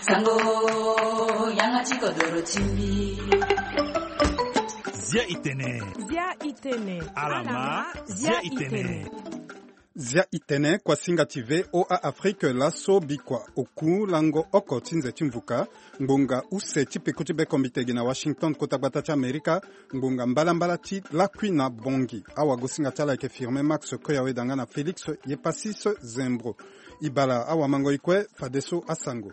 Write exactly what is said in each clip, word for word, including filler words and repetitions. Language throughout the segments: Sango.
Sango, yanga ti kodoro ti mbi. Zia itene. Zia itene. Alama, zia itene. Zia itene, kuasinga ti V O A Afrique, laso bikua oku lango oko ti nze ti mvuka. Ngbonga use ti peko ti bekombitegi na Washington, kota gbata ti Amerika. Ngbonga mbalambala ti lakui na bongi. Awagosinga ti ala ayeke Firmin Max Koyaweda nga na Félix Yepasis Zembro. E bala awamango e kue fadeso asango.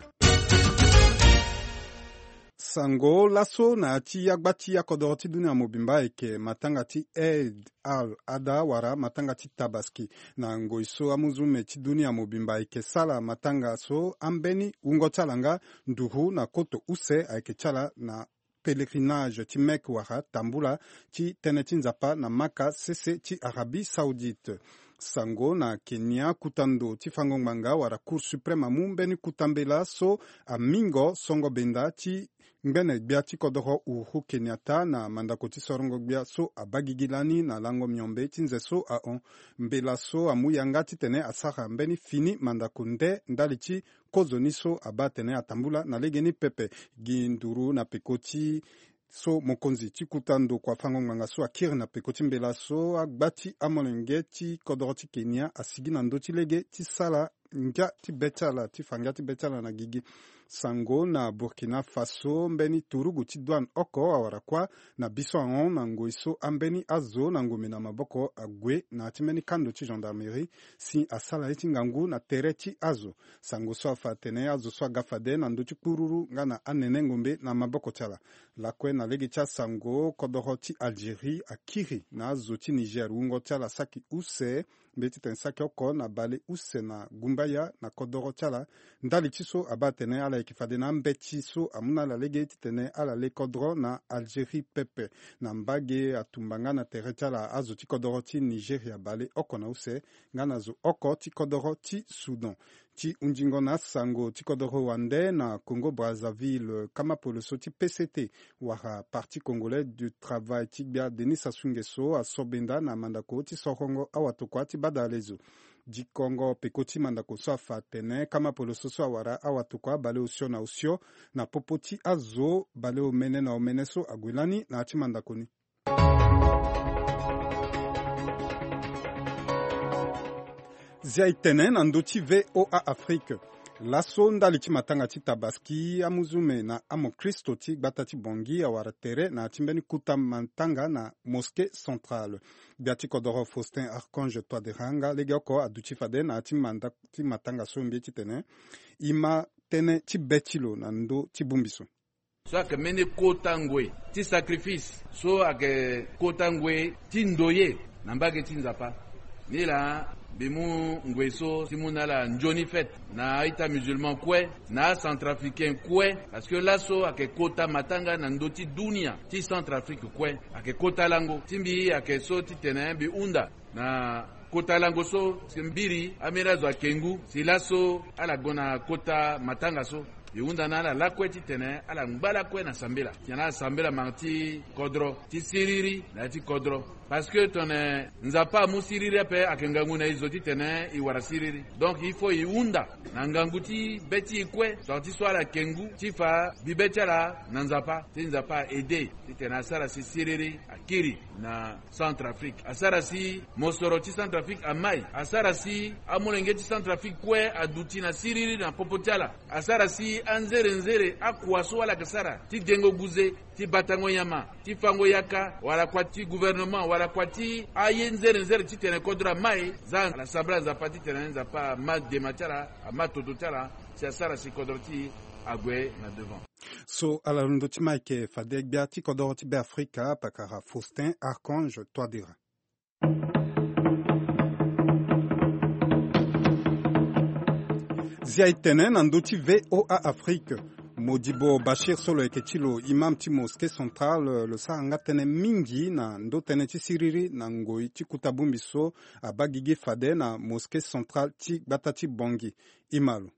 Sango laso na ya ti agba ti akodoro ti dunia mobimba ayeke matanga ti Eid al-Adha wala matanga ti Tabaski. Na ngoi so amuzume ti dunia mobimba ayeke sala matanga so, ambeni wungo ti ala nga nduru na koto use ayeke ti ala na pèlerinage ti Mecque wala tambula ti tënë ti Nzapa na Maka sese ti Arabie Saoudite. Sango na Kenya, kuta ndo ti fango ngbanga wala Cour suprême amu mbeni kuta mbela so amingo songo benda ti ngbene gbia ti kodoro Uhuru Kenyatta na mandako ti sorongo gbia so abaa gigi lani na lango miombe ti nze so ahon. Mbela so amu yanga titene asara mbeni fini mandako nde ndali ti kozoni so abaa atene atambula na legeni pepe. Gi nduru na peko ti so mokonzi ti kuta ndo kua fango ngbanga so akiri na peko ti mbela so, agba ti amolenge ti kodoro ti Kenya asigi na ndö ti lege ti sara ngia ti be ti ala, ti fa ngia ti be ti ala na gigi. Sango na Burkina Faso, mbeni turugu ti douane oko awara kuâ na biso ahon na ngoi so ambeni azo na ngombe na maboko ague na ya ti mbeni kando ti gendarmerie si asara ye ti ngangu na tere ti azo. Sango so afa atene azo so aga fade na ndö ti kpururu nga na anene ngombe na maboko ti ala. Lakue na lege ti asango, kodoro ti Algérie akiri na azo ti Niger wungo ti ala saki use, mbe titene saki oko na bale use na gumbaya na kodoro ti ala. Ndali ti so abaa atene ala yeke fade na ambeti so amu na ala lege titene ala le kodro na Algérie pepe. Na mbage atumba nga na tere ti ala azo ti kodoro ti Nigeria bale oko na use nga na zo oko ti kodoro ti Soudan. Ti hundingo na asango ti kodoro wande na Congo Brazzaville, kama poloso ti P C T wala Parti Congolais du Travail ti gbia Denis Sassou Nguesso aso benda na mandako ti sorongo awatokua ti badalezo. Dikongo peko ti mandako so afa atene kama poloso so awara awatokua bale osio na osio na popo ti azo bale omene na omene so ague lani na ya ti mandako ni. Zia e tene na ndö ti V O A Afrique. Laso ndali ti matanga ti Tabaski, amuzume na amokristo ti gbata ti Bangui awara tere na ya ti mbeni kuta matanga na Mosquée Centrale. Gbia ti kodoro Faustin Archange Touadéra nga legeoko aduti fade na ya ti manda ti matanga so mbi ye titene e ma tënë ti be ti lo na ndö ti bongbi so. So ayeke mbeni kota ngoi ti sacrifice, so ayeke kota ngoi ti ndoye na mbage ti Nzapa. Ni laa mbi mu ngoi so ti mu na ala nzoni fête na a-ita musulman kue, na acentrafricain kue, parce que laso ayeke kota matanga na ndö ti dunia ti Centrafrique kue. Ayeke kota lango ti mbi ayeke so titene mbi hunda na kota lango so, si mbiri ambeni azo ayeke ngu si laso ala gue na kota matanga so. E hunda na ala lakue titene ala ngba lakue na sambela, titene ala sambela manga ti kodro ti siriri na ya ti kodro. Parce que tongana Nzapa amu siriri ape, ayeke ngangu na e zo titene e wara siriri. Donc il faut e hunda na ngangu ti be ti e kue, tongana ti so ala yeke ngu, ti fa bi be ti ala na Nzapa, ti Nzapa a-aider titene asara si siriri akiri na Centrafrique. Asara si mosoro ti Centrafrique amai. Asara si amolenge ti Centrafrique kue aduti na siriri na popo ti ala. Asara si anzerenzere akua so ala yeke sara ti dengo guze, ti batango nyama, ti fango yaka, wala kua ti gouvernement, wala kua ti aye nzerenzere titene kodro amai. Za ala sambela Nzapa titene Nzapa ama dema ti ala, ama toto ti ala, si asara si kodro ti e ague na devant. So ala londo ti ma ayeke fade gbia ti kodoro ti Beafrika, pakara Faustin Archange Touadéra. Zia e tene na ndö ti V O A Afrique. Modibo Bachir so lo yeke ti lo imam ti Mosquée Centrale, lo sara nga tënë mingi na ndö tënë ti siriri na ngoi ti kuta bongbi so abaa gigi fade na Mosquée Centrale ti gbata ti Bangui. E ma lo.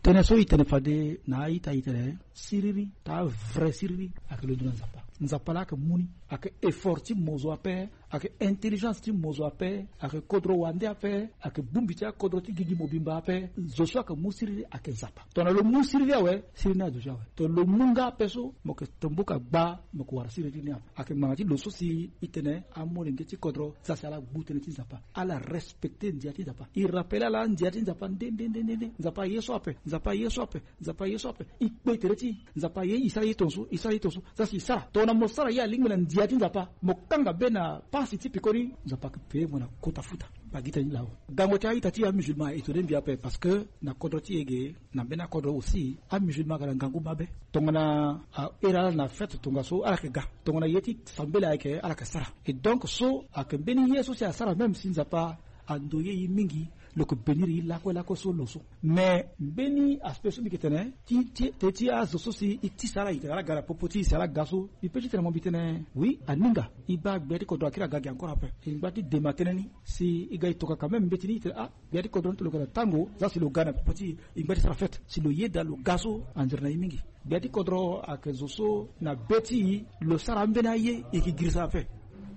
Tënë so e tene fade na a-ita e tene siriri, taa vrai siriri ayeke londo na Nzapa. Nzapa laa ayeke mu ni. Ayeke effort ti mo zo ape. Ayeke intelligence ti mo zo ape. Ayeke kodro wande ape. Ayeke bongbi ti akodro ti gigi mobimba ape. Zo so ayeke mu siriri ayeke Nzapa. Tongana lo mu siriri awe, siriri ni aduti awe. Tongana lo mu nga ape so, mo yeke tomboka gba, mo yeke wara siriri ni ape. Ayeke ngbanga ti lo so si e tene amolenge ti kodro, za si ala gbu tënë ti Nzapa, ala respecter ndia ti Nzapa. E rappeler ala ndia ti Nzapa nde nde nde nde nde. Nzapa aye so ape. Nzapa aye so ape. Nzapa aye so ape. E kpe tere ti e. Nzapa aye e sara ye tongaso, e sara ye tongaso. Za si e sara. Tongana mo sara ye alingbi na ndia ti Nzapa, mo kanga be na pasi ti pekoni, Nzapa ayeke payé mo na kota futa. Bagita ni laa. Gango ti a-ita ti amusulman e tene mbi ape, parce que na kodro ti e ge, na mbeni akodro aussi, amusulman ayeke na ngangu mabe. Tongana a iri ala na fête tongaso, ala yeke ga. Tongana ye ti sambela ayeke, ala yeke sara. Et donc so ayeke mbeni ye so si asara, même si Nzapa andoye e mingi, lo yeke bénir e lakue lakue so lo so. Mais mbeni aspect so mbi yeke tene ti, ti, tënë ti azo so si e tisa ala, e tene ala ga na popo ti e, si ala ga so, mbi pe ti tene mo, mbi tene oui, aninga. E baa gbia ti kodro akiri aga gi encore ape. E ngba ti dema tënë ni. Si e ga e toka quand même mbeti ni, e tene ah, gbia ti kodro ni ti lo ga na tango, za si lo ga na popo ti e, e ngba ti sara fête. Si lo yeda lo ga so, anzere na e mingi. Gbia ti kodro ayeke zo so na be ti e lo sara ambeni aye, e yeke girisa ape.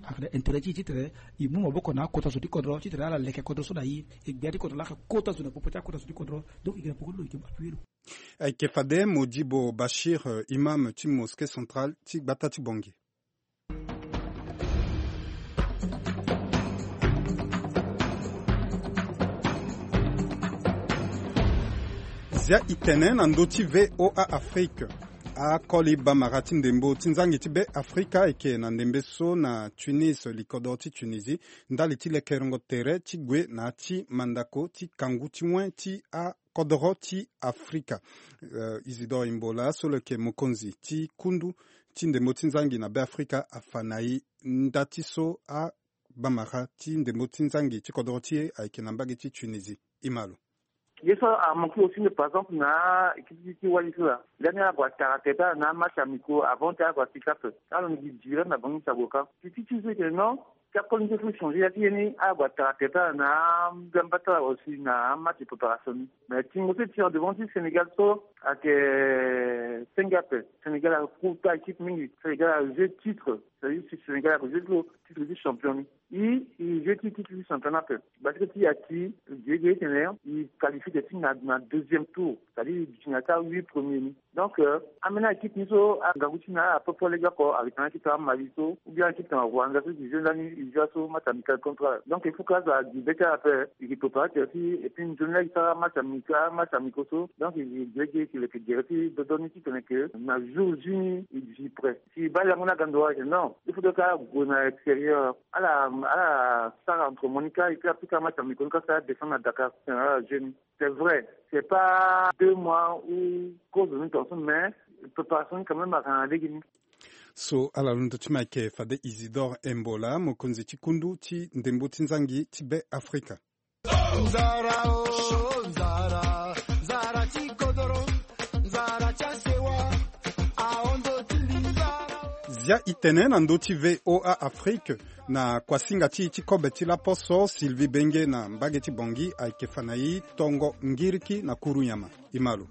Ayeke na intérêt ti e ti tene e mu maboko na akota zo ti kodro ti tene ala leke kodro so na e. E gbia ti kodro laa ayeke kota zo na popo ti akota zo ti kodro. Donc e yeke na poko ti lo, e yeke appuyer lo. Ayeke fade Modibo Bachir, euh, imam ti mosquée centrale ti gbata ti Bangui. Zia e tene na ndö ti V O A Afrique. Akoli bamara ti ndembo ti nzangi ti Be Afrika ayeke na ndembe so na Tunis, likodoro ti Tunisie, ndali ti lekerengo tere ti gue na ya ti mandako ti kangu ti wen ti a kodoro ti Afrika. Euh, Isidore Imbola so lo yeke mokonzi ti kundu ti ndembo ti nzangi na Be Afrika afa na e nda ti so abamara ti ndembo ti nzangi ti kodoro ti e ayeke na mbage ti Tunisie. E ma lo. Ye so amanke aussi nde, par exemple, na équipe ti, ti wali so laa, lani ague atara tere ti ala na amatch amicaux avant ti ague asika ape. Ala ni gi diri na bango ti sago ka. Ti, ti, ti so e tene non, ti akoli ni so e changer ya ti ye ni, ague atara tere ti ala na ambeni mbata aussi na amatch préparation ni. Mais tingo so e tene devant ti Sénégal so ayeke senge ape. Sénégal akota équipe mingi. Sénégal ajoué titre. C'est-à-dire si Sénégal ajoué lo titre ti champion ni. E, e jeu ti, ti, ti championnat ape. Basket ti e ati, e ge, ge ti tene e qualifié ti na, na deuxième tour. C'est-à-dire e duti na ya ti ahuit premier ni. Donc, euh, ambeni équipe ni so angangu ti na ala propre lege oko, ayeke na équipe ti Mali so, ou bien équipe ti Rwanda so, e jeu lani, e jeu so match amical contre ala. Donc il faut que azo agi be ti ala ape, e gi préparer tere ti, et puis nzoni laa e sara match amical, match amicaux so. Donc e gi, e gi, e gi, e leke gere ti dodo ni ti tene que na jour J ni e duti prêt. Si e baa lango ni aga ndo wala, non, il faut que ala gue na extérieur. Ala, ala sara entre mo ni ka, et puis après ka match amicaux ni ka, sara descendre na Dakar, titene ala jeu ni. C'est vrai, c'est pas deux mois ou kozo ni tongaso, mais préparation ni quand même ayeke na lege ni. So ala londo ti mo ayeke fade Isidore Imbola, mokonzi ti kundu ti ndembo ti nzangi ti Be Afrika. Nzara o, nzara, nzara ti kodoro, nzara ti asewa, ahon ndo ti mbi nzara o. Zia e tene na ndö ti V O A Afrique, na kuasinga ti e ti kobe ti laposo, Sylvie Benge na mbage ti Bangui ayeke fa na e tongo ngiriki na kuru nyama. E ma lo.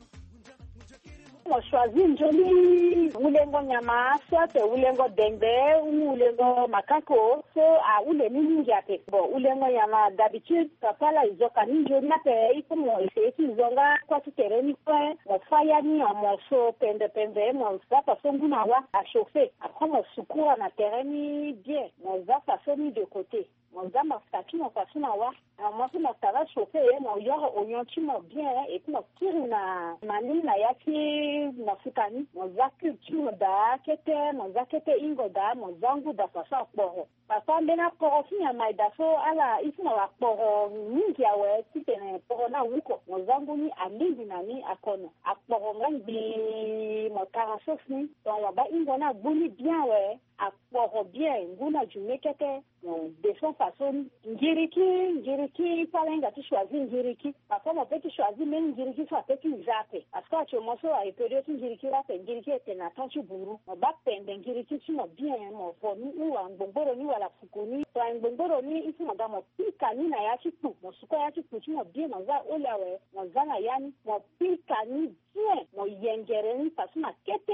Mo choisir nzoni wulengo nyama, soit wulengo dengbe ou wulengo makako, so ahule ni mingi ape. Bon, wulengo nyama, d'habitude papa laa e zo ka ni nzoni ape, il faut mo essayer ti zo nga kua ti tere ni kue. Mo fâ ya ni en morceau pembe pembe, mo za façon ngu na wâ, a chauffer. Après mo sukura na tere ni bien, mo za façon ni de côté. Mo za mafuta ti mo façon na wâ. Ah, mo so mo tara chauffer, mo yoro oignon ti mo bien, et puis mo kiri na manille na ya ti mafuta ni. Mo za cube ti mo daa kete, mo za kete hingo daa, mo za ngu daa façon akporo. Papa, mbeni akporo ti nyama e daa so, ala, il faut mo akporo mingi awe, titene kporo ni awuko. Mo za ngu ni alingbi na ni akono. Akporo nga ngbii, mo tara sauce ni. Donc mo baa hingo ni agbu ni bien awe. Akporo bien, ngu ni ajume kete. Bon, de son façon ni. Ngiriki, ngiriki, so ala hinga ti choisir ngiriki. Parfois mo peut ti choisir même ngiriki so a peut ti za ape. Parce que actuellement so a période ti ngiriki laa ape, ngiriki e tene na temps ti buru. Mo baa pembe ngiriki ti mo bien, mo fo ni ou angbongboro ni wala fuku ni. So angbongboro ni, il faut mo ga mo pika ni na ya ti kpu. Mo suka ya ti kpu ti mo bien, mo za oli awe, mo za na ya ni, mo pika ni Tien mo yengere ni parce que na kete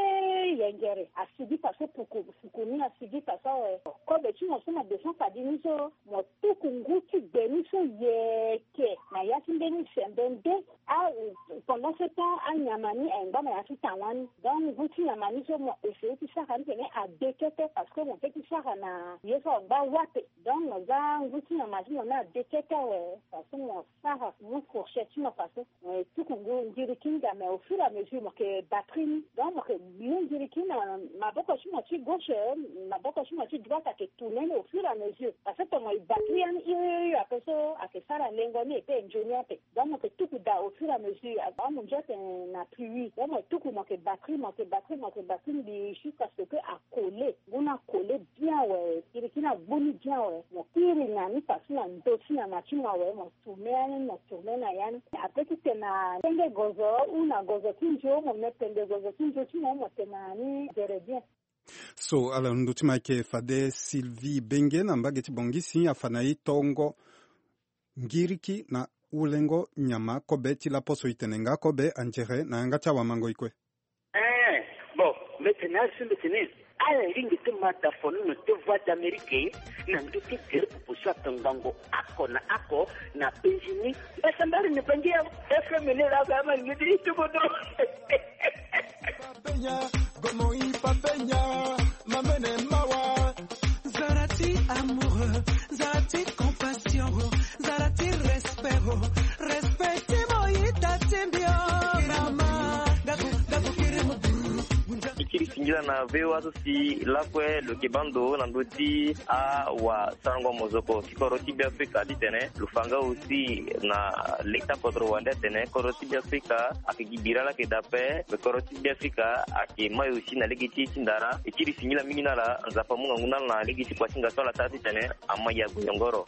yengere asigi parce que puku puku ni asigi parce que awe. Kobe ti mo so mo descend fadi ni so mo tuku ngu ti gbe ni so yeke na ya ti mbeni sembe nde. Ah, pendant ce temps anyama ni ayengba na ya ti tan wani. Donc ngu ti nyama ni so mo essayer ti sara ni tene ade kete parce que mo peut ti sara na ye so angba wape. Donc mo za ngu ti nyama ti mo ni ade kete awe parce que mo sara mu fourchette ti mo parce que mo ye tuku ngu ngiriki ni ga mais au fur et à mesure mo ke batri ni. Donc mo ke mu ngiriki na maboko ti mo ti gauche, maboko ti mo ti droite ake tourne ni au fur et à mesure parce que to mo ye batri yani iri iri ape so ake sara lengo ni e pe e nzoni ape. Donc mo ke tuku daa au fur et à mesure amu nzio atene na pluie donc mo tuku mo ke batri mo ke batri mo ke batri mbi jusqu'à ce que akole ngu ni akole bien awe. Iri kini agbu ni bien awe mo kiri na ni pasi na ndo ti nyama ti mo awe mo tourne yani mo tourne na yani. Ape ti tene na tenge gozo ou na gozo ti nzio mo me tende gozo ti nzio ti mo mo tene na ni gere bien. So ala ndö ti ma ayeke fade Sylvie Benge na mbage ti Bangui si afa na e tongo ngiriki na ulengo nyama kobe ti laposo e tene nga kobe anzere na yanga ti awamango e kue. Eh, bon, mbi tene asi mbi tene ala lingi ti ma da fonono ti Voix d'Amérique na ndö ti gere popo so atongango oko na oko na penzi ni. Esa mbari ni Bangui FM ni laa ama lingi ti tubodo. Papenya, gomo i papenya, mamene mawa. Zara ti amoureux, zara ti compassion, zara ti respect, respect ti mo yita ti mbi o mama. Gabu, gabu kiri mo. Ikiri singila na VOA so si lakue lo yeke baa ndo na ndö ti awasarango mozoko ti kodro ti Beafrika titene lo fa nga aussi na leta kodro wande atene kodro ti Beafrika ayeke gi bira laa ayeke daa ape. Me kodro ti Beafrika ayeke mai aussi na lege ti e ti ndara. E kiri singila mingi na ala. Nzapa amu ngangu na ala na lege ti kuasinga so ala sara titene ama ya gue nyongoro.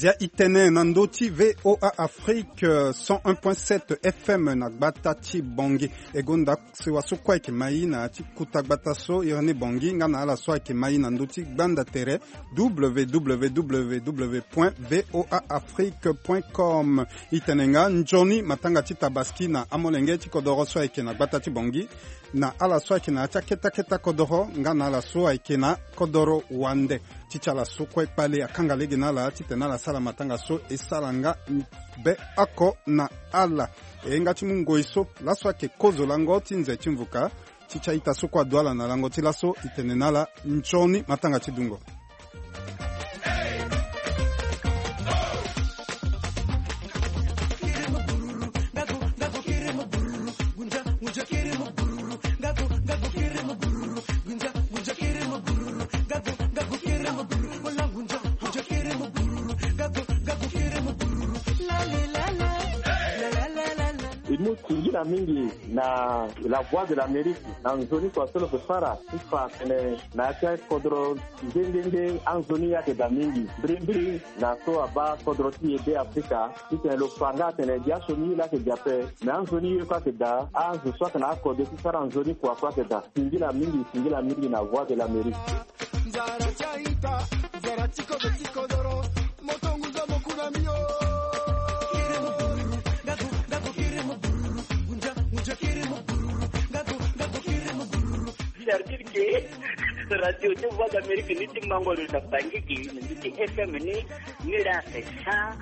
Zia i tene na ndö ti VOA Afrique, euh, cent un point sept F M na gbata ti Bangui. E gonda sewa so kue ayeke ma e na ya ti kuta gbata so iri ni Bangui nga na ala so ayeke ma e na ndö ti gbanda tere www point voa afrique point com. E tene nga nzoni matanga ti tabaski na amolenge ti kodoro so ayeke na gbata ti Bangui na ala so ayeke na ya ti aketa keta kodoro nga na ala so ayeke na kodoro wande. Ti ti ala so kue kpale akanga lege na ala titene ala sara matanga so e sara nga be oko na ala. E nga ti mu ngoi so laso ayeke kozo lango ti nze ti mvuka. Ti ti a-ita so kue adu ala na lango ti laso e tene na ala nzoni matanga ti dungo. E mu singila mingi na La Voix de l'Amérique na nzoni kua so lo yeke sara ti fa atene na ya ti akodro nde nde nde anzoni ye ayeke daa mingi mbirimbiri na so abaa kodro ti e Be Afrika. Titene lo fa nga atene gi asioni ye laa ayeke gi ape me anzoni ye kue ayeke daa azo so ayeke na akode ti sara nzoni kua kue ayeke daa. Singila mingi singila mingi na Voix de l'Amérique. Nzara ti a-ita, nzara ti kozo ti kodoro, moto ngunza mo ku na mbi o. Servir ke radio ti Voix d'Amérique ni ti mango lo na Bangui gi na ndö ti F M ni, ni laa c'est cent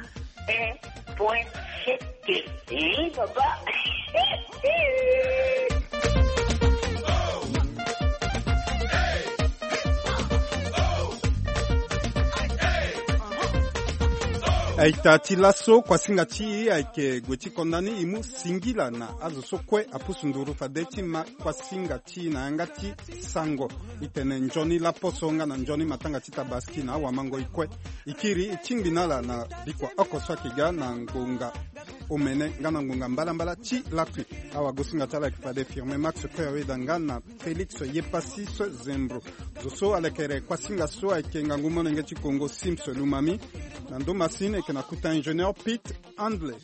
un point sept. Eh, papa. A-ita ti laso kuasinga ti e ayeke gue ti konda ni e mu singila na azo so kue apusu nduru fade ti ma kuasinga ti e na yanga ti sango. E tene nzoni laposo nga na nzoni matanga ti tabaski na awamango e kue. E kiri e tingbi na ala na bikua oko so ayeke ga na ngonga omene nga na ngonga mbalambala ti lakui. Awagosinga ti ala ayeke fade Firmin Max Kue Aweda nga na Félix Yepassis Zembro. Zo so alekere kuasinga so ayeke ngangu molenge ti Kongo Sims Lumami. Na ndo masini ayeke na kuta ingénieur Pete Handley.